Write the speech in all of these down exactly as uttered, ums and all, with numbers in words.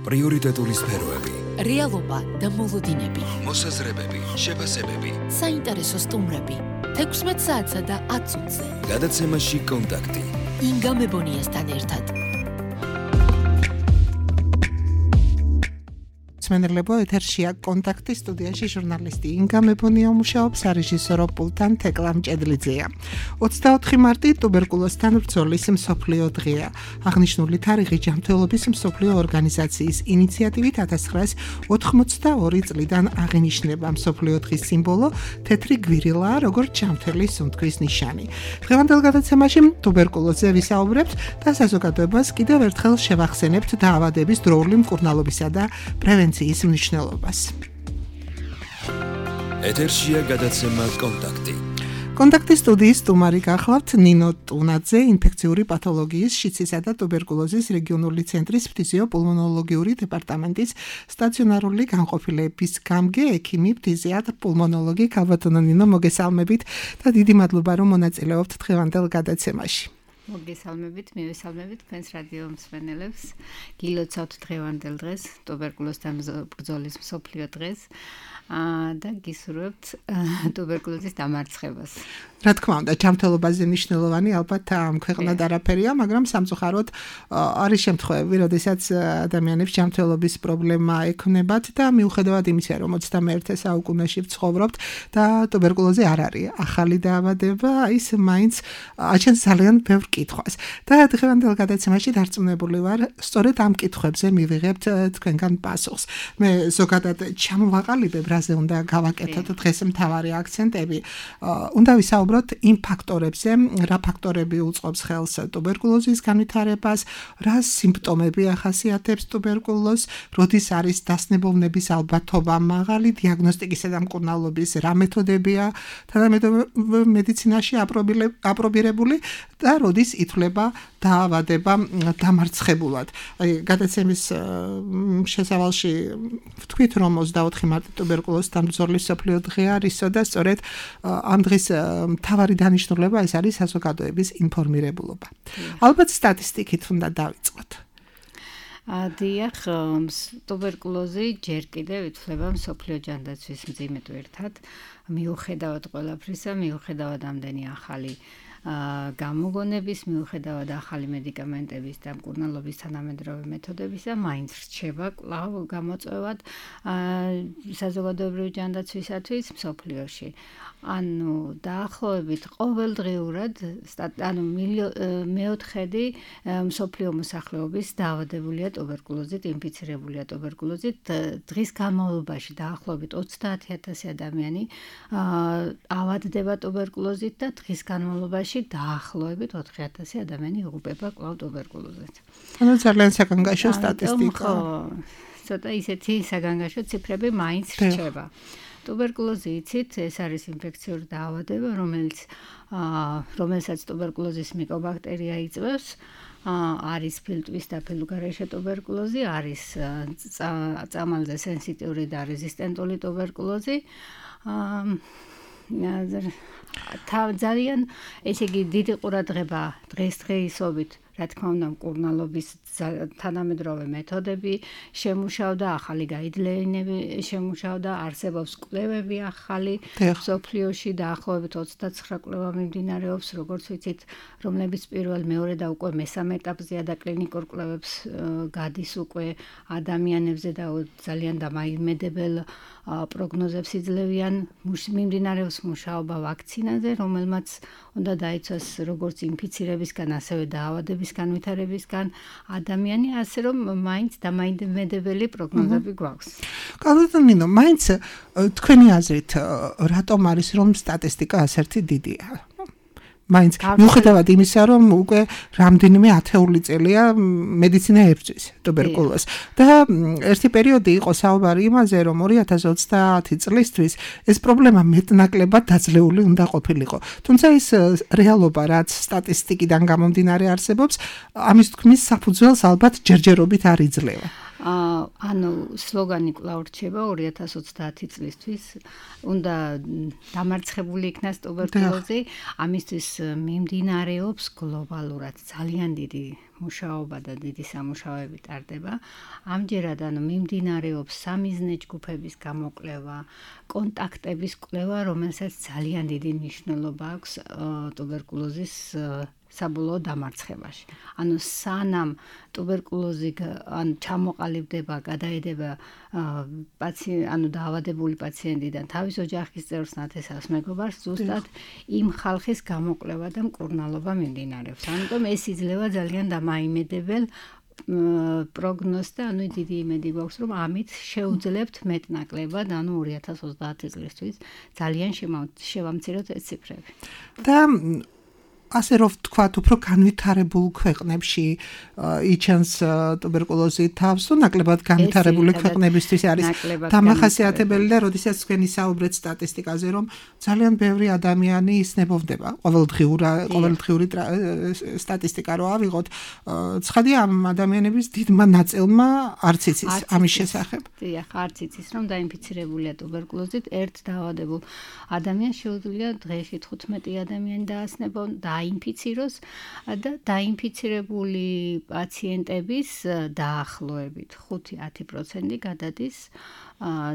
პრიორიტეტული სფეროები, რეალობა და მოლოდინები, მოსაზრებები, შეფასებები, საინტერესო სტუმრები, თექვსმეტ საათსა და ათ წუთზე. გადაცემაში კონტაქტი. ინგა მებონიასთან ერთად. მენერლებო ეთერშია კონტაქტი სტუდიაში ჟურნალისტი ინგა მებონია მუშაობს რეჟისორო პულტან თეკლა მჭედლიძეა. ოცდაოთხი მარტი ტუბერკულოზთან ბრძოლის მსოფლიო დღეა. აღნიშნული თარიღი ჯანმრთელობის მსოფლიო ორგანიზაციის ინიციატივით ათას ცხრაას ოთხმოცდაორი წლიდან აღინიშნება. მსოფლიო დღის სიმბოლო თეთრი გვირილაა, როგორც ჯანმრთელი სუნთქვის ნიშანი. დღევანდელ გადაცემაში ტუბერკულოზზე ვისაუბრებთ და საზოგადოებას კიდევ ერთხელ შევახსენებთ დაავადების დროული მკურნალობისა და პრევენციის ის მნიშვნელობას. ეთერშია გადაცემა კონტაქტი. კონტაქტის სტუდიის სტუმარი გახლავთ ნინო ტუნაძე, ინფექციური პათოლოგიის, შიცისა და ტუბერკულოზის რეგიონული ცენტრის ფთიზიოპულმონოლოგიური დეპარტამენტის სტაციონარული განყოფილების გამგე, ექიმი, ფთიზიატრ-პულმონოლოგი. ქალბატონო ნინო, მოგესალმებით და დიდი მადლობა, რომ მონაწილეობთ დღევანდელ გადაცემაში. მოგესალმებით, მივესალმებით თქვენს რადიო მსმენელებს. გილოცავთ დღევანდელ დღეს, ტუბერკულოზთან ბრძოლის მსოფლიო დღეს და გისურვებთ ტუბერკულოზის დამარცხებას. რა თქმა უნდა, ჯანმრთელობაზე მნიშვნელოვანი ალბათ ამ ქვეყნად არაფერია, მაგრამ სამწუხაროდ არის შემთხვევები, როდესაც ადამიანებს ჯანმრთელობის პრობლემა ექნებათ და მიუხედავად იმისა, რომ ოცდამეერთე საუკუნეში ვცხოვრობთ და ტუბერკულოზი არ არის ახალი დაავადება, ის მაინც აჩენს ძალიან ბევრ კითხვას. და დღევანდელ გადაცემაში დარწმუნებული ვარ, სწორედ ამ კითხვებზე მივიღებთ თქვენგან პასუხს. მე ზოგადად ჩამოვაყალიბებ, რაზე უნდა გავაკეთოთ დღეს მთავარი აქცენტები. უნდა ვისაუბროთ იმ ფაქტორებზე, რა ფაქტორები უწყობს ხელს ტუბერკულოზის განვითარებას, რა სიმპტომები ახასიათებს ტუბერკულოზს, როდის არის დასნებოვნების ალბათობა მაღალი, დიაგნოსტიკისა და მკურნალობის რა მეთოდებია თანამედროვე მედიცინაში აპრობირებული და როდის ითვლება დაავადება დამარცხებულად. აი, გადაცემის შესავალში ვთქვით, რომ ოცდაოთხი მარტი ტუბერკულოზთან ბრძოლის მსოფლიო დღე არისო და სწორედ ამ დღის მთავარი დანიშნულება ეს არის საზოგადოების ინფორმირებულობა. ალბათ სტატისტიკით უნდა დავიწყოთ. დიახ, ტუბერკულოზი ჯერ კიდევ ითვლება მსოფლიო ჯანდაცვის მძიმე ერთად, მიუხედავად ყველაფრისა, მიუხედავად ამდენი ახალი გამოგონების, მიუხედავად ახალი მედიკამენტების და მკურნალობის თანამედროვე მეთოდებისა, მაინც რჩება კვლავ გამოწვევად საზოგადოებრივი ჯანდაცვისათვის მსოფლიოში. ანუ დაახლოებით ყოველდღიურად, ანუ მეოთხედი მსოფლიო მოსახლეობის დაავადებულია ტუბერკულოზით, ინფიცირებულია ტუბერკულოზით. დღის განმავლობაში დაახლოებით ოცდაათი ათასი ადამიანი ავადდება ტუბერკულოზით და დღის განმავლობაში დაახლოებით ოთხი ათასი ადამიანი იღუპება კვლავ ტუბერკულოზით. ანუ ძალიან საგანგაშო სტატისტიკა. ცოტა ისეთი საგანგაშო ციფრები მაინც რჩება. ტუბერკულოზი იცით, ეს არის ინფექციური დაავადება, რომელიც რომელსაც ტუბერკულოზის მიკობაქტერია იწვევს. არის ფილტვის და ფილუგარეშე ტუბერკულოზი, არის წამალზე სენსიტიური და რეზისტენტული ტუბერკულოზი. ძალიან ესე იგი დიდი ყურადღება დღესდღეობით, რა თქმა უნდა, მკურნალობის თანამედროვე მეთოდები შემუშავდა, ახალი გაიდლეინები შემუშავდა, არსებობს კვლევები ახალი მსოფლიოში, დაახლოებით ოცდაცხრა კვლევა მიმდინარეობს, როგორც ვიცით, რომლებიც პირველ, მეორე და უკვე მესამე ეტაპზეა და კლინიკურ კვლევებს გადის უკვე ადამიანებზე და ძალიან დამაიმედებელ პროგნოზებს იძლევიან. მიმდინარეობს მუშაობა ვაქცინაზე, რომელმაც უნდა დაიცვას როგორც ინფიცირებისგან, ასევე დაავადების განვითარებისგან ადამიანი, ასე რომ მაინც დამაიმედებელი პროგნოზები გვაქვს. კალბატონო ნინო, მაინც თქვენი აზრით, რატომ არის რომ სტატისტიკა ასეთი დიდია? მაინც მიუხედავად იმისა, რომ უკვე რამდენიმე ათეული წელია მედიცინა ებრძვის ტუბერკულოზს და ერთი პერიოდი იყო საუბარი იმაზე, რომ ორი ათას ოცდაათი წლისთვის ეს პრობლემა მეტნაკლებად დაძლეული უნდა ყოფილიყო. თუმცა ის რეალობა, რაც სტატისტიკიდან გამომდინარე არსებობს, ამის თქმის საფუძველს ალბათ ჯერჯერობით არ იძლევა. ანუ სლოგანი კვლავ რჩება ორი ათას ოცდაათი წლისთვის უნდა დამარცხებული იქნას ტუბერკულოზი ამისთვის მიმდინარეობს გლობალურად ძალიან დიდი მუშაობა და დიდი სამუშაოები ტარდება ამჯერად ანუ მიმდინარეობს სამიზნე ჯგუფების გამოკვლევა კონტაქტების კვლევა რომელსაც ძალიან დიდი მნიშვნელობა აქვს ტუბერკულოზის საბოლოო დამარცხებაში. ანუ სანამ ტუბერკულოზი ან ჩამოყალიბდება, გადაედება პაციენტ, ანუ დაავადებული პაციენტიდან თავის ოჯახის წევრს, ნათესავს, მეგობარს, ზუსტად იმ ხალხის გამოკვლევა და მკურნალობა მიმდინარეობს. ამიტომ ეს იძლევა ძალიან დამაიმედებელ პროგნოზს და ანუ დიდი იმედი გვაქვს რომ ამით შეუძლებთ მეტნაკლებად ანუ ორი ათას ოცდაათი წლისთვის ძალიან შევამციროთ ეს ციფრები. და ასე რომ ვთქვათ, უფრო განვითარებულ ქვეყნებში იჩენს ტუბერკულოზი თავს, თუ ნაკლებად განვითარებული ქვეყნებისთვის არის დამახასიათებელი და როდესაც თქვენი საუბრეთ სტატისტიკაზე, რომ ძალიან ბევრი ადამიანი ისნებოვდება, ყოველდღიური ყოველდღიური სტატისტიკა რო ავიღოთ, ცხადია ამ ადამიანების დიდმა ნაწილმა არც იცის ამის შესახებ. დიახ, არც იცის, რომ დაინფიცირებულია ტუბერკულოზით, ერთ დაავადებულ ადამიანს შეუძლია დღეში თხუთმეტი ადამიანი დაასნებონ დაინფიციროს და დაინფიცირებული პაციენტების დაახლოებით ხუთი ათი პროცენტი გადადის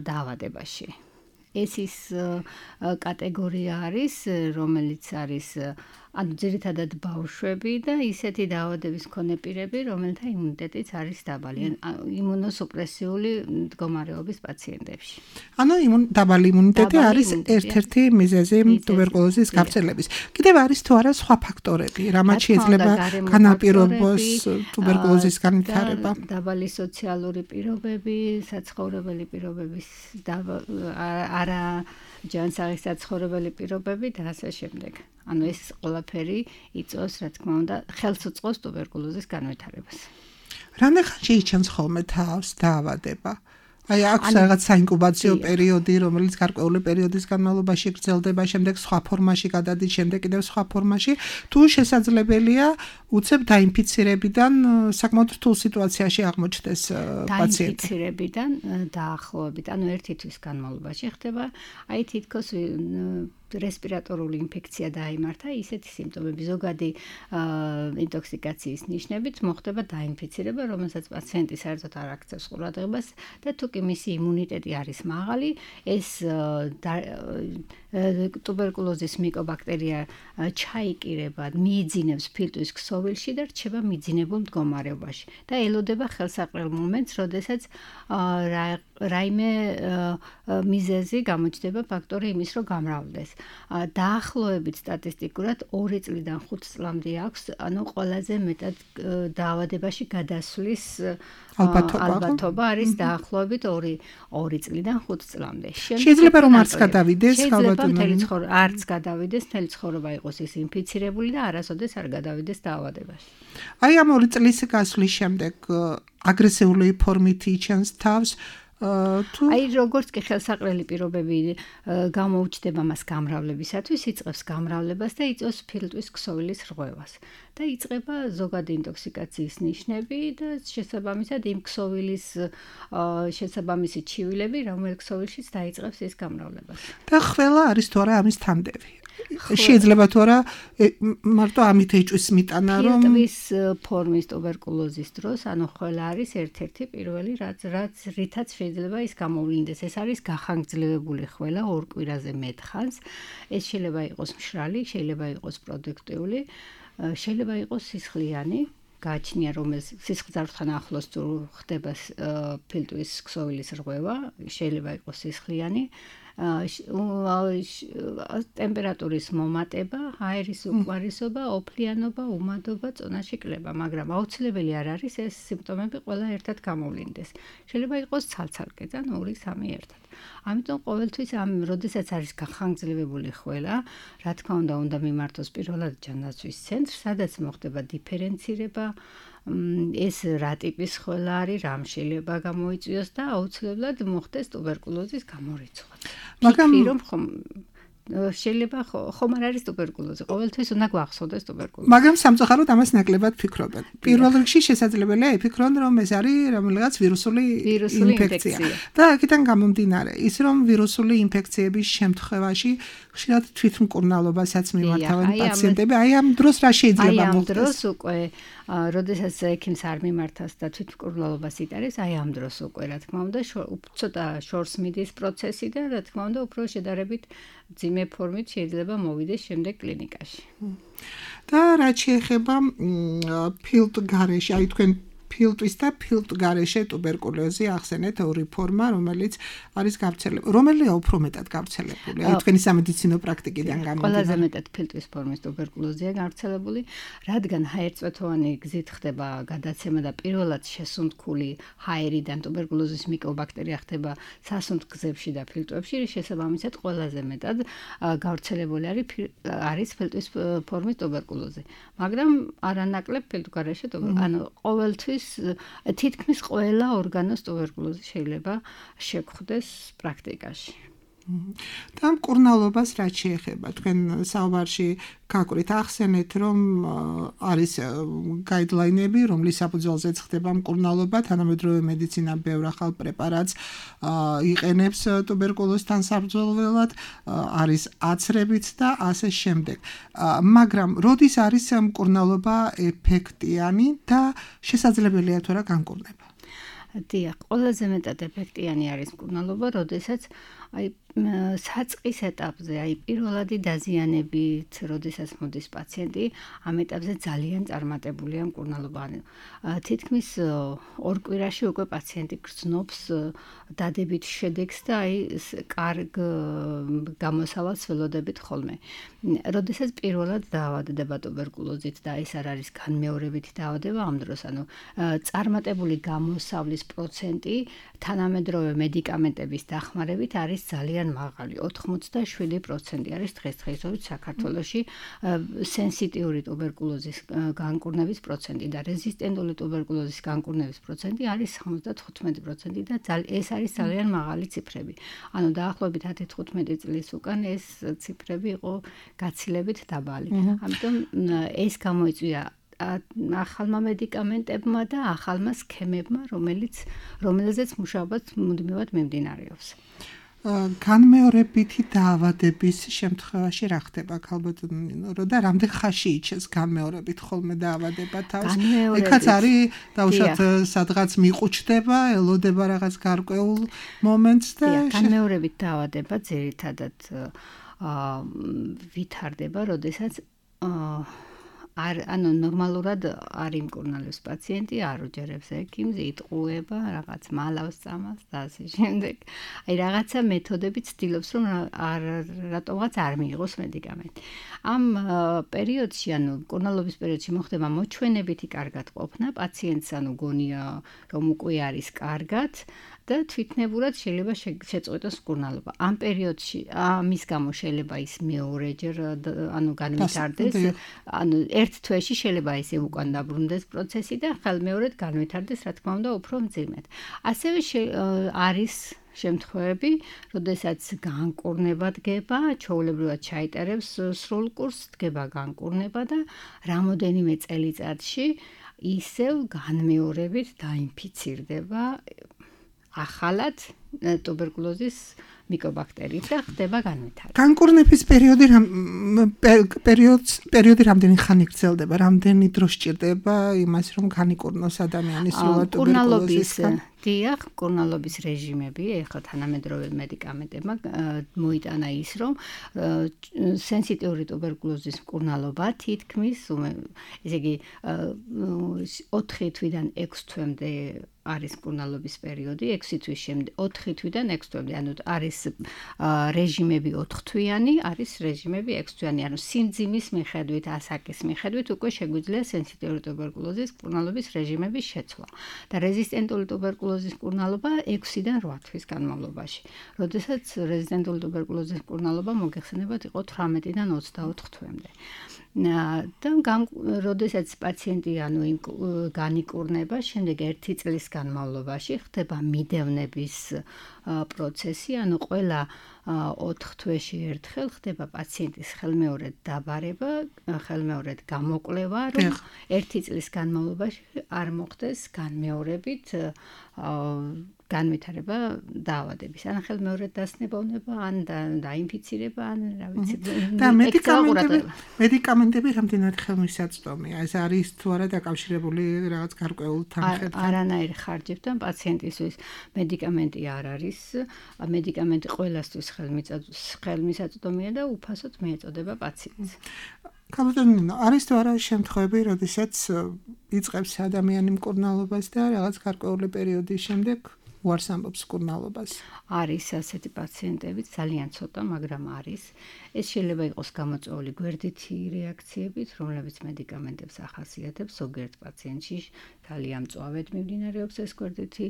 დაავადებაში. ეს ის კატეგორია არის, რომელიც არის ანუ ძირითადად ბავშვები და ისეთი დაავადების მქონე პირები, რომელთა იმუნიტეტიც არის დაბალი, იმუნოსუპრესიული მდგომარეობის პაციენტებში. ანუ დაბალი იმუნიტეტი არის ერთ-ერთი მიზეზი ტუბერკულოზის გავრცელების. კიდევ არის თუ არა სხვა ფაქტორები, რამაც შეიძლება განაპირობოს ტუბერკულოზის განვითარება? დაბალი სოციალური პირობები, საცხოვრებელი პირობების არა ჯანსაღი საცხოვრებელი პირობები და ასე შემდეგ. ანუ ეს ყველაფერი იწვევს, რა თქმა უნდა, ხელს უწყობს ტუბერკულოზის განვითარებას. რამდენ ხანში იჩენს ხოლმე თავს დაავადება? აი აქვს რაღაც საინკუბაციო პერიოდი, რომელიც გარკვეული პერიოდის განმავლობაში გრძელდება, შემდეგ სხვა ფორმაში გადადის, შემდეგ კიდევ სხვა ფორმაში, თუ შესაძლებელია უცებ დაინფიცირებიდან საკმაოდ რთულ სიტუაციაში აღმოჩნდეს პაციენტი. დაინფიცირებიდან დაახლოებით, ანუ ერთი თვის განმავლობაში ხდება, აი თითქოს რესპირატორული ინფექცია დაიმართა, ისეთი სიმპტომები, ზოგადი ინტოქსიკაციის ნიშნებით მოხდება დაინფიცირება, რომელსაც პაციენტი საერთოდ არ აქცევს ყურადღებას და თუ კი მისი იმუნიტეტი არის მაღალი, ეს ტუბერკულოზის მიკობაქტერია ჩაიკირება, მიიძინებს ფილტვის ქსოვილში და რჩება მიძინებულ მდგომარეობაში და ელოდება ხელსაყრელ მომენტს, როდესაც რაიმე მიზეზი გამოჩნდება ფაქტორი იმის, რომ გამრავლდეს. დაახლოებით სტატისტიკურად ორი წლიდან ხუთ წლამდე აქვს, ანუ ყველაზე მეტად დაავადებაში გადასვლის ალბათობა არის დაახლოებით ორი წლიდან ხუთ წლამდე. შეიძლება რომ არც გადავიდეს, ალბათ არც გადავიდეს, მთელი ცხოვრება იყოს ის ინფიცირებული და არასოდეს არ გადავიდეს დაავადებაში. აი ამ ორი წლის გასვლის შემდეგ აგრესიული ფორმით იჩენს თავს თუ აი როგორც კი ხელსაყრელი პირობები გამოუჩნდება მას გამრავლებისათვის, იწყებს გამრავლებას და იწვევს ფილტვის ქსოვილის რღვევას. და იწყება ზოგადი ინტოქსიკაციის ნიშნები და შესაბამისად იმ ქსოვილის შესაბამისი ჩივილები, რომელ ქსოვილშიც დაიწყებს ის გამრავლებას. და ყველა არის თუ არა ამის თანდევი. შეიძლება თუ არა მარტო ამით ეჭვის მიტანა რომ ფილტვის ფორმის ტუბერკულოზის დროს, ანუ ყველა არის ერთ-ერთი პირველი, რაც რაც რითაც შეიძლება ის გამოვლინდეს. ეს არის გახანგრძლივებული ხველა ორ კვირაზე მეტ ხანს. ეს შეიძლება იყოს მშრალი, შეიძლება იყოს პროდუქტიული, შეიძლება იყოს სისხლიანი. გააჩნია რომ ეს სისხლძარღვთან ახლოს თუ ხდება ფილტვის ქსოვილის რღვევა, შეიძლება იყოს სისხლიანი. ტემპერატურის მომატება, აერის უკმარისობა, ოფლიანობა, უმადობა, წონაში კლება, მაგრამ აუცილებელი არ არის ეს სიმპტომები ყველა ერთად გამოვლინდეს. შეიძლება იყოს ცალ-ცალკე, ან ორი სამი ერთად. ამიტომ ყოველთვის ამ როდესაც არის გახანგრძლივებული ხველა, რა თქმა უნდა, უნდა მიმართოს პირველად ჯანდაცვის ცენტრს, სადაც მოხდება დიფერენცირება, ეს რა ტიპის ხველა არის, რამ შეიძლება გამოიწვიოს და აუცილებლად მოხდეს ტუბერკულოზის გამორიცხვა. მაგრამ რომ შეიძლება ხომ არ არის ტუბერკულოზი, ყოველთვის უნდა გვახსოვდეს ტუბერკულოზი. მაგრამ სამწუხაროდ ამას ნაკლებად ფიქრობენ. პირველ რიგში შესაძლებელია იფიქრონ, რომ ეს არის რომელიღაც ვირუსული ინფექცია. და აქედან გამომდინარე, ის რომ ვირუსული ინფექციების შემთხვევაში ხშირად თვითმკურნალობასაც მიმართავენ პაციენტები, აი ამ დროს რა შეიძლება აი მოხდეს? ამ დროს უკვე როდესაც ექიმს არ მიმართავს და თვითმკურნალობას იტარებს, აი ამ დროს უკვე რა თქმა უნდა ცოტა შორს მიდის პროცესი და რა თქმა უნდა უფრო შედარებით ძიმე ფორმით შეიძლება მოვიდეს შემდეგ კლინიკაში. და რაც შეეხება ფილტ გარეშე, აი თქვენ ფილტვის და ფილტ გარეშე ტუბერკულოზი ახსენეთ ორი ფორმა, რომელიც არის გავრცელებული. რომელია უფრო მეტად გავრცელებული? აი თქვენი სამედიცინო პრაქტიკიდან გამომდინარე. ყველაზე მეტად ფილტვის ფორმის ტუბერკულოზია გავრცელებული, რადგან ჰაერწვეთოვანი გზით ხდება გადაცემა და პირველად შესუნთქული ჰაერიდან ტუბერკულოზის მიკობაქტერია ხდება სასუნთქ გზებში და ფილტვებში, შესაბამისად ყველაზე მეტად გავრცელებული არის არის ფილტვის ფორმის ტუბერკულოზი. მაგრამ არანაკლებ ფილტ გარეშე ტუბერკულოზი, ანუ ყოველთვის თითქმის ყველა ორგანოს ტუბერკულოზი შეიძლება შეგვხვდეს პრაქტიკაში. და მკურნალობას რაც შეეხება, თქვენ საუბარში გაკვრით ახსენეთ, რომ არის გაიდლაინები, რომლის საფუძველზეც ხდება მკურნალობა, თანამედროვე მედიცინა ბევრ ახალ პრეპარატს იყენებს ტუბერკულოზთან საბრძოლველად, არის აცრებიც და ასე შემდეგ. მაგრამ როდის არის მკურნალობა ეფექტიანი და შესაძლებელია თუ რა განკურნება? დიახ, ყველაზე მეტად ეფექტიანი არის მკურნალობა, როდესაც აი საწყის ეტაპზე, აი პირველადი დაზიანებით, როდესაც მოდის პაციენტი, ამ ეტაპზე ძალიან წარმატებულია მკურნალობა. თითქმის ორ კვირაში უკვე პაციენტი გრძნობს დადებით შედეგს და აი კარგ გამოსავალს ველოდებით ხოლმე. როდესაც პირველად დაავადდება ტუბერკულოზით და ეს არ არის განმეორებითი დაავადება, ამ დროს ანუ წარმატებული გამოსავლის პროცენტი თანამედროვე მედიკამენტების დახმარებით არის ძალიან მაღალი, ოთხმოცდაშვიდი პროცენტი არის დღესდღეობით საქართველოში სენსიტიური ტუბერკულოზის განკურნების პროცენტი და რეზისტენტული ტუბერკულოზის განკურნების პროცენტი არის თხუთმეტი პროცენტი და ეს არის ძალიან მაღალი ციფრები. ანუ დაახლოებით ათი თხუთმეტი წლის უკან ეს ციფრები იყო გაცილებით დაბალი. ამიტომ ეს გამოიწვია ახალმა მედიკამენტებმა და ახალმა სქემებმა, რომელიც რომელზეც მუშაობაც მუდმივად მიმდინარეობს. განმეორებითი დაავადების შემთხვევაში რა ხდება ქალბატონო და რამდენ ხანში იჩეს განმეორებით ხოლმე დაავადება თავს? ეხაც არის დაუშვათ სადღაც მიყუჩდება, ელოდება რაღაც გარკვეულ მომენტს და განმეორებით დაავადება ძირითადად ვითარდება, როდესაც არ ანუ ნორმალურად არ იმკურნალებს პაციენტი, არ უჯერებს ექიმს, იტყუება, რაღაც მალავს წამალს და ასე შემდეგ. აი რაღაცა მეთოდებით ცდილობს, რომ არ რატომღაც არ მიიღოს მედიკამენტი. ამ პერიოდში, ანუ მკურნალობის პერიოდში მოხდება მოჩვენებითი კარგად ყოფნა, პაციენტს ანუ გონია, რომ უკვე არის კარგად და თვითნებურად შეიძლება შეწყვეტოს მკურნალობა. ამ პერიოდში ამის გამო შეიძლება ის მეორეჯერ ანუ განვითარდეს, ანუ ერთ თვეში შეიძლება ისე უკან დაბრუნდეს პროცესი და ხელმეორედ განვითარდეს, რა თქმა უნდა, უფრო მძიმედ. ასევე არის შემთხვევები, როდესაც განკურნება დგება, ჩვეულებრივად ჩაიტარებს სრულ კურსს, დგება განკურნება და რამოდენიმე წელიწადში ისევ განმეორებით დაინფიცირდება ახალად ტუბერკულოზის მიკობაქტერიით და ხდება განვითარება. განკურნების პერიოდი პერიოდს პერიოდი რამდენი ხანი გრძელდება, რამდენი დრო სჭირდება იმას, რომ განიკურნოს ადამიანი სრულად ტუბერკულოზისგან? დიახ, მკურნალობის რეჟიმები, ეხლა თანამედროვე მედიკამენტებმა მოიტანა ის, რომ სენსიტიური ტუბერკულოზის მკურნალობა თითქმის, ესე იგი, ოთხი თვიდან ექვსი თვემდე არის მკურნალობის პერიოდი, ექვსი თვის შემდეგ, ოთხი თვიდან ექვსი თვემდე, ანუ არის რეჟიმები ოთხთვიანი, არის რეჟიმები ექვსთვიანი, ანუ სიმძიმის მიხედვით, ასაკის მიხედვით უკვე შეგვიძლია სენსიტიური ტუბერკულოზის მკურნალობის რეჟიმების შეცვლა. და რეზისტენტული ტუბერკულოზის მკურნალობა ექვსიდან რვა თვის განმავლობაში. როდესაც რეზისტენტული ტუბერკულოზის მკურნალობა მოგეხსენებათ იყო თვრამეტიდან ოცდაოთხ თვემდე. და როდესაც პაციენტი ანუ განიკურნება, შემდეგ ერთი წლის განმავლობაში ხდება მიდევნების პროცესი, ანუ ყველა ოთხ თვეში ერთხელ ხდება პაციენტის ხელმეორედ დაბარება, ხელმეორედ გამოკვლევა, რომ ერთი წლის განმავლობაში არ მოხდეს განმეორებით განვითარება დაავადების. ან ხელმეორედ დასნებოვნება, ან დაინფიცირება, ან რა ვიცი. და მედიკამენტები, მედიკამენტები რამდენად ხელმისაწვდომია? ეს არის თუ არა დაკავშირებული რაღაც გარკვეულ თანხებთან? არანაირ ხარჯებთან პაციენტისთვის მედიკამენტი არ არის. მედიკამენტი ყველასთვის ხელმისაწვდომია და უფასოდ მიეწოდება პაციენტს. კაბატონინო, არის თუ არა შემთხვევები, როდესაც იწყებს ადამიანი მკურნალობას და რაღაც გარკვეული პერიოდის შემდეგ უარს ამბობს მკურნალობას? არის ასეთი პაციენტები, ძალიან ცოტა, მაგრამ არის. ეს შეიძლება იყოს გამოწვეული გვერდითი რეაქციებით, რომლებიც მედიკამენტებს ახასიათებს. ზოგიერთ პაციენტში ძალიან მწვავედ მიმდინარეობს ეს გვერდითი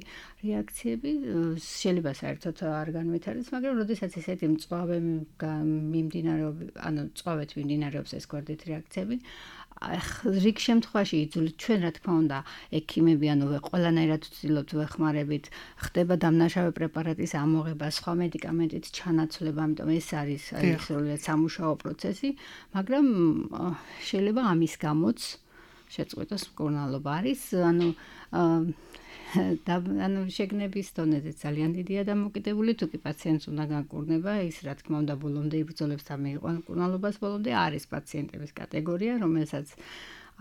რეაქციები. შეიძლება საერთოდ არ განვითარდეს, მაგრამ როდესაც ესეთი მწვავე მიმდინარეობს, ანუ მწვავედ მიმდინარეობს ეს გვერდითი რეაქციები, რიგ შემთხვევაში იძულით ჩვენ რა თქმა უნდა ექიმები ანუ ყველანაირად ვცდილობთ ვეხმარებით ხდება დამნაშავე პრეპარატის ამოღება სხვა მედიკამენტით ჩანაცვლება ამიტომ ეს არის სრულიად სამუშაო პროცესი მაგრამ შეიძლება ამის გამოც შეწყვეტოს მკურნალობა არის ანუ და ანუ შეგნების დონეზე ძალიან დიდია დამოკიდებული თუ კი პაციენტს უნდა განკურნება ის რა თქმა უნდა ბოლომდე იბრძოლებს და მიიყვანს მკურნალობას ბოლომდე არის პაციენტების კატეგორია რომელსაც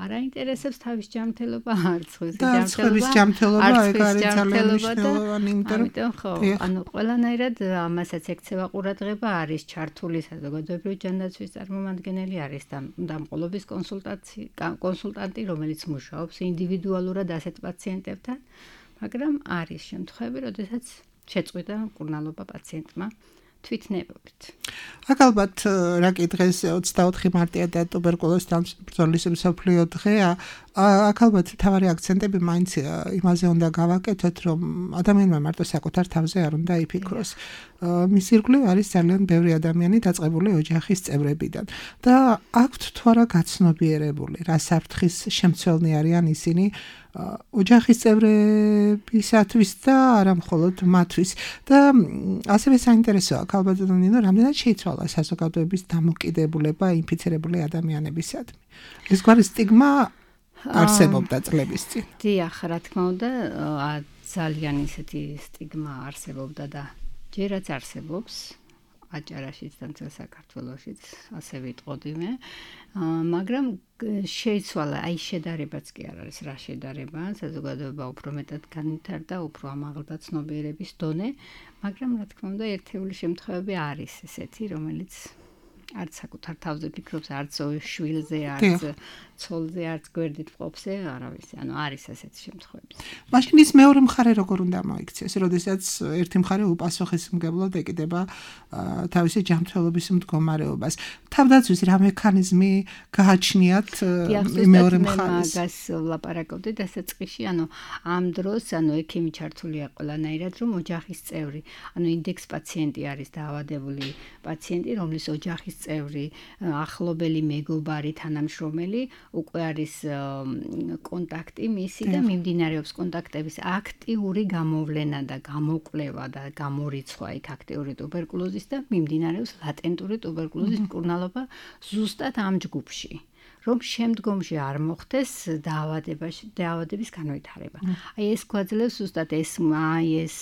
არ აინტერესებს თავის ჯანმრთელობა არც ხვის ჯანმრთელობა ეგ არის ძალიან მნიშვნელოვანი იმიტომ ხო ანუ ყველანაირად ამასაც ექცევა ყურადღება არის ჩართული საზოგადოებრივი ჯანდაცვის წარმომადგენელი არის და დამყოლობის კონსულტაცი კონსულტანტი რომელიც მუშაობს ინდივიდუალურად ასეთ პაციენტებთან მაგრამ არის შემთხვევები, როდესაც შეწყვიტა მკურნალობა პაციენტმა თვითნებობით. აქ ალბათ რა კი დღეს ოცდაოთხი მარტია და ტუბერკულოზთან ბრძოლის მსოფლიო დღეა. აქ ალბათ თავარი აქცენტები მაინც იმაზე უნდა გავაკეთოთ, რომ ადამიანმა მარტო საკუთარ თავზე არ უნდა იფიქროს. მის ირგვლივ არის ძალიან ბევრი ადამიანი დაწყებული ოჯახის წევრებიდან და აქვთ თუ არა გაცნობიერებული, რა საფრთხის შემცველნი არიან ისინი ოჯახის წევრებისათვის და არა მხოლოდ მათთვის და ასევე საინტერესოა ქალბატონინო რამდენად შეიცვალა საზოგადოების დამოკიდებულება ინფიცირებული ადამიანებისადმი ეს გვარი სტიგმა არსებობდა წლების წინ დიახ რა თქმა უნდა ძალიან ისეთი სტიგმა არსებობდა და ჯერაც არსებობს აჭარაშიც და მთელ საქართველოშიც ასე ვიტყოდი მე მაგრამ შეიცვალა აი შედარებაც კი არ არის რა შედარება საზოგადოება უფრო მეტად განვითარდა უფრო ამაღლდა ცნობიერების დონე მაგრამ რა თქმა უნდა ერთეული შემთხვევები არის ესეთი რომელიც არც საკუთარ თავზე ფიქრობს არც შვილზე არც ცოლზე არც გვერდით მყოფზე არავის ანუ არის ასეთი შემთხვევები მაშინ ის მეორე მხარე როგორ უნდა მოიქცეს როდესაც ერთი მხარე უპასუხისმგებლოდ ეკიდება თავისი ჯანმრთელობის მდგომარეობას თავდაცვის რა მექანიზმი გააჩნიათ მეორე მხარეს მაგას ვლაპარაკობდი დასაწყისში ანუ ამ დროს ანუ ექიმი ჩართულია ყველანაირად რომ ოჯახის წევრი ანუ ინდექს პაციენტი არის დაავადებული პაციენტი რომლის ოჯახის წევრი ახლობელი მეგობარი თანამშრომელი უკვე არის კონტაქტი მისი და მიმდინარეობს კონტაქტების აქტიური გამოვლენა და გამოკვლევა და გამორიცხვა იქ აქტიური ტუბერკულოზის და მიმდინარეობს ლატენტური ტუბერკულოზის მკურნალობა ზუსტად ამ ჯგუფში რომ შემდგომში არ მოხდეს დაავადებაში დაავადების განვითარება. აი ეს გვაძლევს ზუსტად ეს აი ეს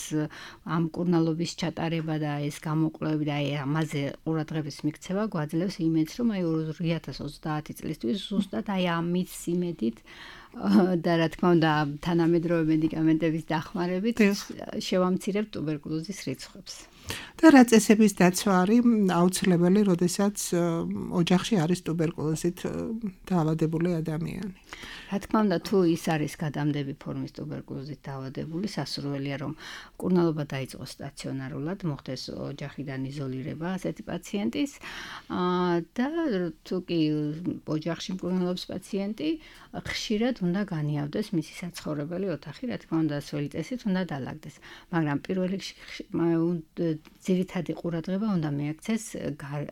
ამ მკურნალობის ჩატარება და ეს გამოკვლევები და აი ამაზე ყურადღების მიქცევა გვაძლევს იმედს რომ აი ორი ათას ოცდაათი წლისთვის ზუსტად აი ამის იმედით და რა თქმა უნდა თანამედროვე მედიკამენტების დახმარებით შევამცირებთ ტუბერკულოზის რიცხვებს. და რა წესების დაცვა არის აუცილებელი, როდესაც ოჯახში არის ტუბერკულოზით დაავადებული ადამიანი. რა თქმა უნდა, თუ ის არის გადამდები ფორმის ტუბერკულოზით დაავადებული, სასურველია რომ მკურნალობა დაიწყოს სტაციონარულად, მოხდეს ოჯახიდან იზოლირება ასეთი პაციენტის და თუ კი ოჯახში მკურნალობს პაციენტი, ხშირად უნდა განიავდეს მისი საცხოვრებელი ოთახი, რა თქმა უნდა, სველი წესით უნდა დალაგდეს. მაგრამ პირველ რიგში ძირითადი ყურადღება უნდა მიაქცეს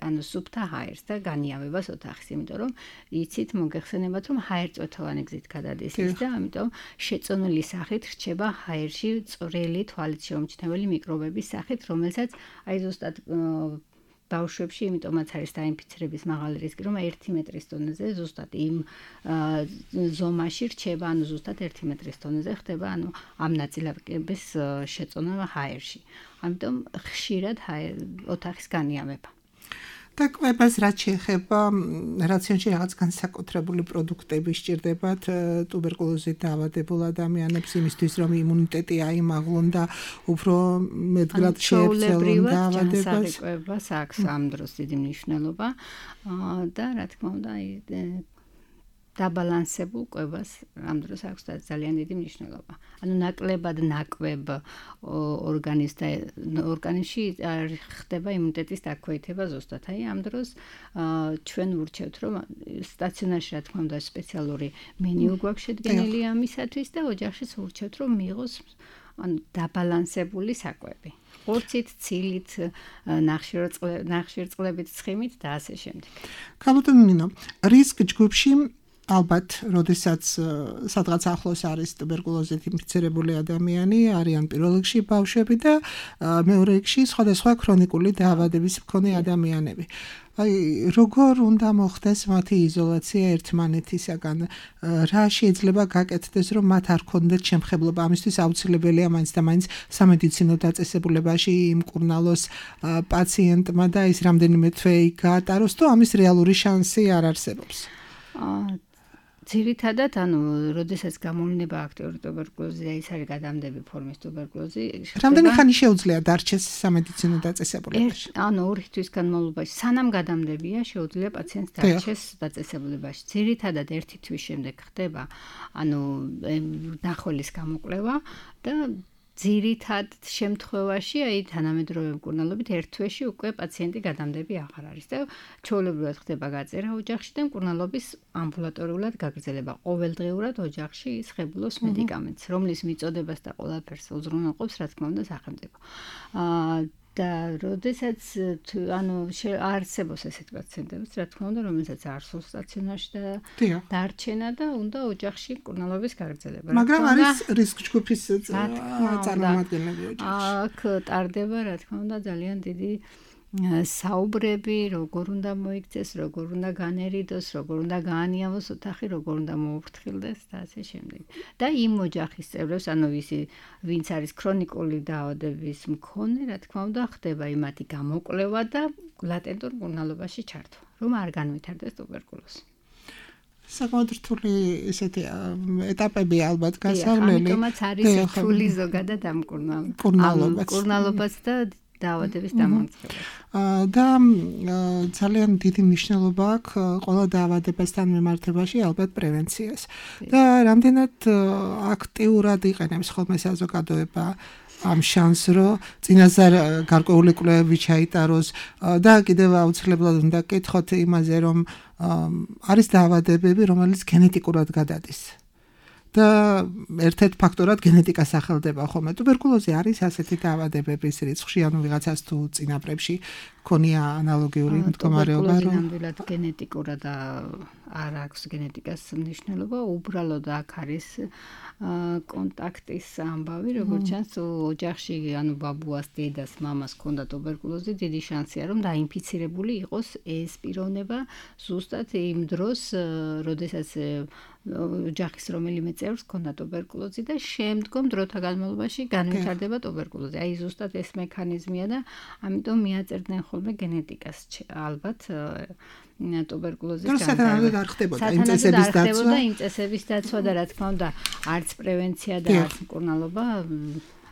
ანუ სუფთა ჰაერს და განიავებას ოთახის, იმიტომ რომ იცით მოგეხსენებათ, რომ ჰაერწვეთოვანი გზით გადადის ის და ამიტომ შეწონილი სახით რჩება ჰაერში წვრილი თვალით შეუმჩნეველი მიკრობების სახით, რომელსაც აი ზუსტად ბავშვებში, იმიტომაც არის დაინფიცირების მაღალი რისკი, რომ ერთი მეტრის დონეზე ზუსტად იმ ზომაში რჩება, ანუ ზუსტად ერთი მეტრის დონეზე ხდება, ანუ ამ ნაწილაკების შეწონა ჰაერში. ამიტომ ხშირად ოთახის განიავება. და კვებას რაც შეეხება რაციონში რაღაც განსაკუთრებული პროდუქტები სჭირდებათ ტუბერკულოზით დაავადებულ ადამიანებს იმისთვის რომ იმუნიტეტი აიმაღლონ და უფრო მეტგრად შეეცელონ დაავადებას. კვებას აქვს ამ დროს დიდი მნიშვნელობა და რა თქმა უნდა დაბალანსებულ კვებას ამ დროს აქვს ძალიან დიდი მნიშვნელობა. ანუ ნაკლებად ნაკვებ ორგანიზმს და ორგანიზმში ხდება იმუნიტეტის დაქვეითება ზუსტად. აი ამ დროს ჩვენ ვურჩევთ, რომ სტაციონარში რა თქმა უნდა სპეციალური მენიუ გვაქვს შედგენილი ამისათვის და ოჯახშიც ვურჩევთ, რომ მიიღოს ანუ დაბალანსებული საკვები. ხორცით, ცილით, ნახშირწყლებით, ცხიმით და ასე შემდეგ. ქალბატონო, რისკ ჯგუფში ალბათ, როდესაც სადღაც ახლოს არის ტუბერკულოზით ინფიცირებული ადამიანი, არიან პირველ რიგში ბავშვები და მეორე რიგში სხვადასხვა ქრონიკული დაავადების მქონე ადამიანები. აი, როგორ უნდა მოხდეს მათი იზოლაცია ერთმანეთისაგან? რა შეიძლება გაკეთდეს, რომ მათ არ ქონდეთ შემხებლობა? ამისთვის აუცილებელია მაინც და მაინც სამედიცინო დაწესებულებაში იმკურნალოს პაციენტმა და ის რამდენიმე თვე იქ გაატაროს, თუ ამის რეალური შანსი არ არსებობს? ძირითადად, ანუ, როდესაც გამოვლენა აქტიური ტუბერკულოზი, ის არის გადამდები ფორმის ტუბერკულოზი. რამდენი ხანი შეუძლია დარჩეს სამედიცინო დაწესებულებაში? ანუ ორი თვის განმავლობაში, სანამ გადამდებია, შეუძლია პაციენტს დარჩეს დაწესებულებაში. ძირითადად ერთი თვის შემდეგ ხდება, ანუ, ნახველის გამოკვლევა და ძირითად შემთხვევაში, აი თანამედროვე მკურნალობით ერთ თვეში უკვე პაციენტი გადამდები აღარ არის და ჩვეულებრივად ხდება გაწერა ოჯახში და მკურნალობის ამბულატორიულად გაგრძელება. ყოველდღიურად ოჯახში ის ხებულობს მედიკამენტს, რომლის მიწოდებას და ყველაფერს უზრუნველყოფს, რა თქმა უნდა, სახელმწიფო. აა და როდესაც ანუ არსებობს ესეთ პაციენტებიც, რა თქმა უნდა, რომელსაც არ სურს სტაციონარში და დარჩენა და უნდა ოჯახში მკურნალობის გაგრძელება. მაგრამ არის რისკ ჯგუფის წარმომადგენლები ოჯახში. აქ ტარდება, რა თქმა უნდა, ძალიან დიდი საუბრები, როგორ უნდა მოიქცეს, როგორ უნდა განერიდოს, როგორ უნდა გაანიავოს ოთახი, როგორ უნდა მოუფრთხილდეს და ასე შემდეგ. და იმ ოჯახის წევრებს, ანუ ვისი, ვინც არის ქრონიკული დაავადების მქონე, რა თქმა უნდა, ხდება იმათი გამოკვლევა და ლატენტურ მკურნალობაში ჩართვა, რომ არ განვითარდეს ტუბერკულოზი. საკმაოდ რთული ესეთი ეტაპები ალბათ გასავლელი. ამიტომაც არის რთული ზოგადად ამ მკურნალობას და დაავადების დამამარცხება. და ძალიან დიდი მნიშვნელობა აქვს ყველა დაავადებასთან მიმართებაში ალბათ პრევენციას. და რამდენად აქტიურად იყენებს ხოლმე საზოგადოება ამ შანსს, რომ წინასწარ გარკვეული კვლევები ჩაიტაროს და კიდევ აუცილებლად უნდა გკითხოთ იმაზე, რომ არის დაავადებები, რომელიც გენეტიკურად გადადის. და ერთ-ერთ ფაქტორად გენეტიკა სახელდება ხოლმე. ტუბერკულოზი არის ასეთი დაავადებების რიცხვში, ანუ ვიღაცას თუ წინაპრებში ქონია ანალოგიური მდგომარეობა, რომ ნამდვილად გენეტიკურად არ აქვს გენეტიკას მნიშვნელობა, უბრალოდ აქ არის კონტაქტის ამბავი, როგორც ჩანს, ოჯახში, ანუ ბაბუას, დედას, მამას ქონდა ტუბერკულოზი, დიდი შანსია, რომ დაინფიცირებული იყოს ეს პიროვნება ზუსტად იმ დროს, როდესაც ოჯახის რომელიმე წევრს ქონდა ტუბერკულოზი და შემდგომ დროთა განმავლობაში განვითარდება ტუბერკულოზი. აი ზუსტად ეს მექანიზმია და ამიტომ მიაწერდნენ ხოლმე გენეტიკას ალბათ ტუბერკულოზის განვითარება. არ ხდებოდა იმ წესების დაცვა. იმ წესების დაცვა და რა თქმა უნდა, არც პრევენცია და არც მკურნალობა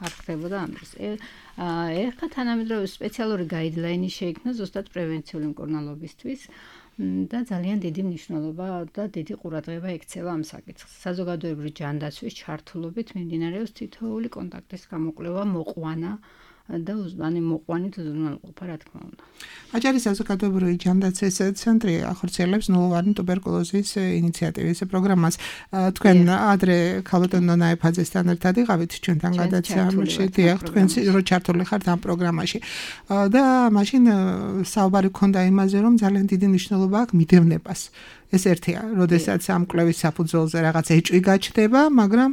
არ ხდებოდა ამ დროს. ეხლა თანამედროვე სპეციალური გაიდლაინი შეიქმნა ზუსტად პრევენციული მკურნალობისთვის. და ძალიან დიდი მნიშვნელობა და დიდი ყურადღება ექცევა ამ საკითხს. საზოგადოებრივი ჯანდაცვის ჩართულობით მიმდინარეობს თითოეული კონტაქტის გამოკვლევა, მოყვანა და უსმანი მოყვანით უზრუნველყოფა რა თქმა უნდა. აჭარის საზოგადოებრივი ჯანდაცვის ცენტრი ახორციელებს ნულოვანი ტუბერკულოზის ინიციატივის პროგრამას. თქვენ ადრე ქალბატონ ნონა ეფაძესთან ერთად იყავით ჩვენთან გადაცემაში, დიახ, თქვენ რო ჩართული ხართ ამ პროგრამაში. და მაშინ საუბარი ქონდა იმაზე, რომ ძალიან დიდი მნიშვნელობა აქვს მიდევნებას. ეს ერთია, როდესაც ამ კვლევის საფუძველზე რაღაც ეჭვი გაჩნდება, მაგრამ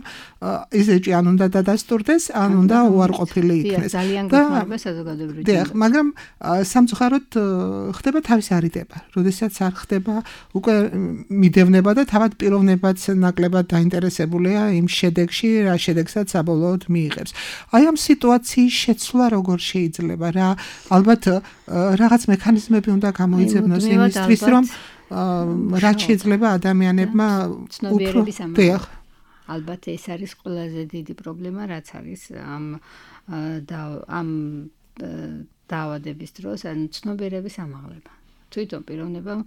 ეს ეჭვი ან უნდა დადასტურდეს, ან უნდა უარყოფილი იქნეს. ძალიან გეხმარება საზოგადოებრივი. დიახ, მაგრამ სამწუხაროდ ხდება თავისი არიდება. როდესაც არ ხდება უკვე მიდევნება და თავად პიროვნებაც ნაკლებად დაინტერესებულია იმ შედეგში, რა შედეგსაც საბოლოოდ მიიღებს. აი ამ სიტუაციის შეცვლა როგორ შეიძლება? რა ალბათ რაღაც მექანიზმები უნდა გამოიძებნოს იმისთვის, რომ რაც შეიძლება ადამიანებმა ცნობიერების ამაღლება. ალბათ ეს არის ყველაზე დიდი პრობლემა, რაც არის ამ ამ დაავადების დროს, ან ცნობიერების ამაღლება. თვითონ პიროვნებამ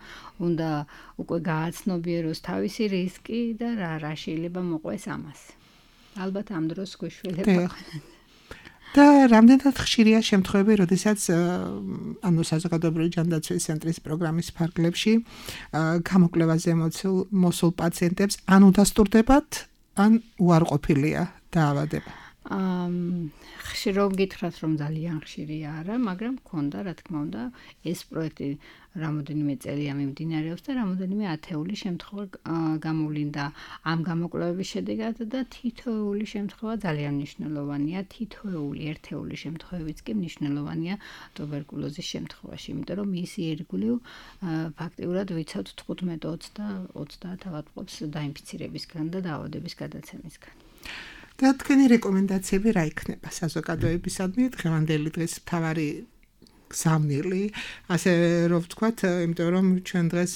უნდა უკვე გააცნობიეროს თავისი რისკი და რა რა შეიძლება მოყვეს ამას. ალბათ ამ დროს გვეშველება. და რამდენად ხშირია შემთხვევები, როდესაც ანუ საზოგადოებრივი ჯანდაცვის ცენტრის პროგრამის ფარგლებში გამოკვლევაზე მოსულ პაციენტებს ან უდასტურდებათ, ან უარყოფილია დაავადება. ხშირად გითხრათ, რომ ძალიან ხშირია არა, მაგრამ მქონდა, რა თქმა უნდა, ეს პროექტი რამოდენიმე წელია მიმდინარეობს და რამოდენიმე ათეული შემთხვევა გამოვლინდა ამ გამოკვლევების შედეგად და თითოეული შემთხვევა ძალიან მნიშვნელოვანია, თითოეული ერთეული შემთხვევებიც კი მნიშვნელოვანია ტუბერკულოზის შემთხვევაში, იმიტომ რომ ის ირგვლივ ფაქტიურად ვიცავთ თხუთმეტ ოცდაათ ავადმყოფს დაინფიცირებისგან და დაავადების გადაცემისგან. და თქვენი რეკომენდაციები რა იქნება საზოგადოებისადმი დღევანდელი დღის მთავარი გზავნილი, ასე რომ ვთქვათ, იმიტომ რომ ჩვენ დღეს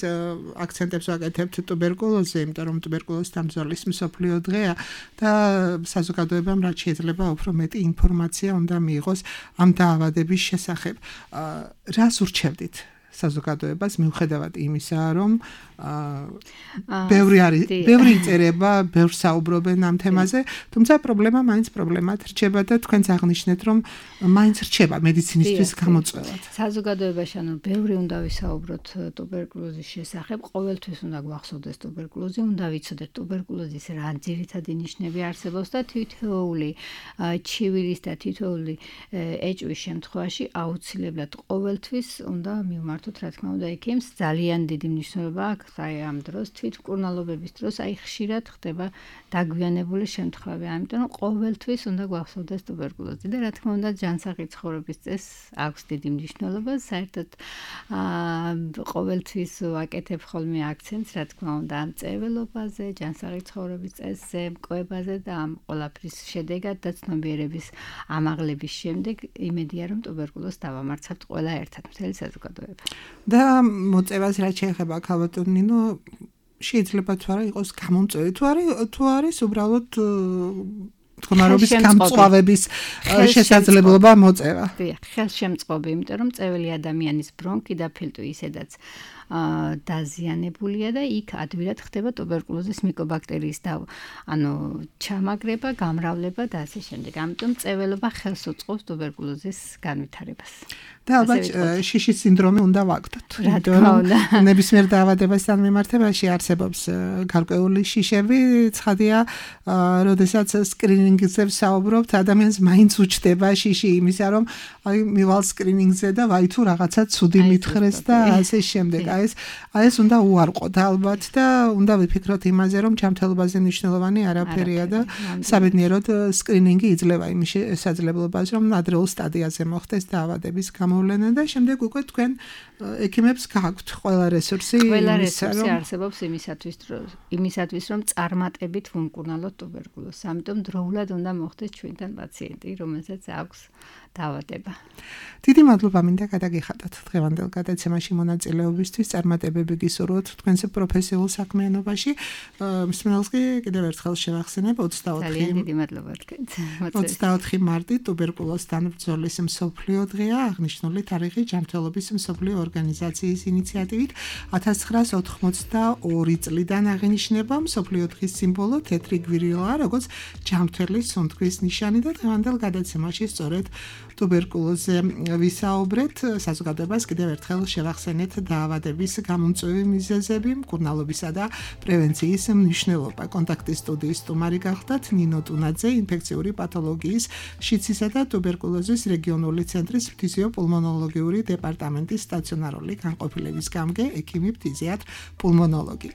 აქცენტებს ვაკეთებთ ტუბერკულოზზე, იმიტომ რომ ტუბერკულოზის დამძვარლის მსოფლიო დღეა და საზოგადოებამ რაც შეიძლება უფრო მეტი ინფორმაცია უნდა მიიღოს ამ დაავადების შესახებ. რას ურჩევდით საზოგადოებას მიუხედავად იმისა, რომ ბევრი არის, ბევრი იწერება, ბევრს საუბრობენ ამ თემაზე, თუმცა პრობლემა მაინც პრობლემად რჩება და თქვენც აღნიშნეთ, რომ მაინც რჩება მედიცინისთვის გამოწვევად. საზოგადოებაში ანუ ბევრი უნდა ვისაუბროთ ტუბერკულოზის შესახებ, ყოველთვის უნდა გვახსოვდეს ტუბერკულოზი, უნდა ვიცოდეთ ტუბერკულოზის რა ძირითადი ნიშნები არსებობს და თითოეული ჩივილის და თითოეული ეჭვის შემთხვევაში აუცილებლად ყოველთვის უნდა მივმართოთ, რა თქმა უნდა, ექიმს. ძალიან დიდი მნიშვნელობა აქვს აი ამ დროს თვითმკურნალობების დროს აი ხშირად ხდება დაგვიანებული შემთხვევები, ამიტომ ყოველთვის უნდა გვახსოვდეს ტუბერკულოზი და რა თქმა უნდა ჯანსაღი ცხოვრების წესს აქვს დიდი მნიშვნელობა. საერთოდ ყოველთვის ვაკეთებ ხოლმე აქცენტს, რა თქმა უნდა, ამ წერილობაზე, ჯანსაღი ცხოვრების წესზე, მკვლევაზე და ამ ყველაფრის შედეგად და ცნობიერების ამაღლების შემდეგ იმედია, რომ ტუბერკულოზს დავამარცხებთ ყველა ერთად მთელი საზოგადოება. და მოწევას რაც შეეხება ქალბატონ ნინო, შეიძლება თუ არა იყოს გამომწვევი, თუ არის თუ არის უბრალოდ მდგომარეობის გამწვავების შესაძლებლობა მოწევა. დიახ, ხელშემწყობი, იმიტომ რომ წეველი ადამიანის ბრონქი და ფილტვი ისედაც დაზიანებულია და იქ ადვილად ხდება ტუბერკულოზის მიკობაქტერიის და ანუ ჩამაგრება, გამრავლება და ასე შემდეგ. ამიტომ წეველობა ხელს უწყობს ტუბერკულოზის განვითარებას. და ალბათ შიშის სინდრომი უნდა ვაკვდოთ. ნებისმიერ დაავადებასთან მიმართებაში არსებობს გარკვეული შიშები, ცხადია, როდესაც სკრინინგზე ვსაუბრობთ, ადამიანს მაინც უჩდება შიში იმისა, რომ აი მივალ სკრინინგზე და ვაი თუ რაღაცა ცუდი მითხრეს და ასე შემდეგ. აი ეს აი ეს უნდა უარყოთ ალბათ და უნდა ვიფიქროთ იმაზე, რომ ჯანმრთელობაზე მნიშვნელოვანი არაფერია და საბედნიეროდ სკრინინგი იძლევა იმის შესაძლებლობას, რომ ადრეულ სტადიაზე მოხდეს დაავადების გამოვლენა და შემდეგ უკვე თქვენ ექიმებს გააქვთ ყველა რესურსი, ყველა რესურსი არსებობს იმისათვის, იმისათვის, რომ წარმატებით ვუმკურნალოთ ტუბერკულოზს. ამიტომ დროულად უნდა მოხდეს ჩვენთან პაციენტი, რომელსაც აქვს დაავადება. დიდი მადლობა მინდა გადაგიხადოთ დღევანდელ გადაცემაში მონაწილეობისთვის. წარმატებები გისურვოთ თქვენს პროფესიულ საქმიანობაში. მსმენელს კი კიდევ ერთხელ შევახსენებ ოცდაოთხი ძალიან დიდი მადლობა თქვენს. ოცდაოთხი მარტი ტუბერკულოზთან ბრძოლის მსოფლიო დღეა, აღნიშნული თარიღი ჯანმრთელობის მსოფლიო ორგანიზაციის ინიციატივით ათას ცხრაას ოთხმოცდაორი წლიდან აღინიშნება. მსოფლიო დღის სიმბოლო თეთრი გვირილა, როგორც ჯანმრთელი სუნთქვის ნიშანი და დღევანდელ გადაცემაში სწორედ ტუბერკულოზზე ვისაუბრეთ. საზოგადოებას კიდევ ერთხელ შევახსენეთ დაავადების გამომწვევი მიზეზები, მკურნალობისა და პრევენციის მნიშვნელობა. კონტაქტის სტუდიის სტუმარი გახდათ ნინო ტუნაძე, ინფექციური პათოლოგიის, შიცისა და ტუბერკულოზის რეგიონული ცენტრის ფთიზიოპულმონოლოგიური დეპარტამენტის სტაციონარული განყოფილების გამგე, ექიმი ფთიზიატრ პულმონოლოგი.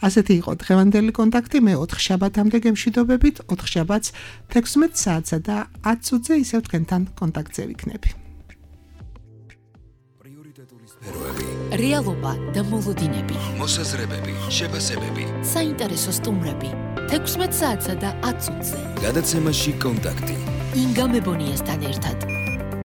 ასეთი იყო დღევანდელი კონტაქტი. მე ოთხ შაბათამდე გემშვიდობებით, ოთხ შაბათს თექვსმეტ საათსა და ათ წუთზე ისევ თქვენთან კონტაქტზე ვიქნები. პრიორიტეტული სფეროები, რეალობა და მოლოდინები, მოსაზრებები, შეფასებები. საინტერესო სტუმრები. თექვსმეტ საათსა და ათ წუთზე. გადაცემაში კონტაქტი. ინგა მებონიასთან ერთად.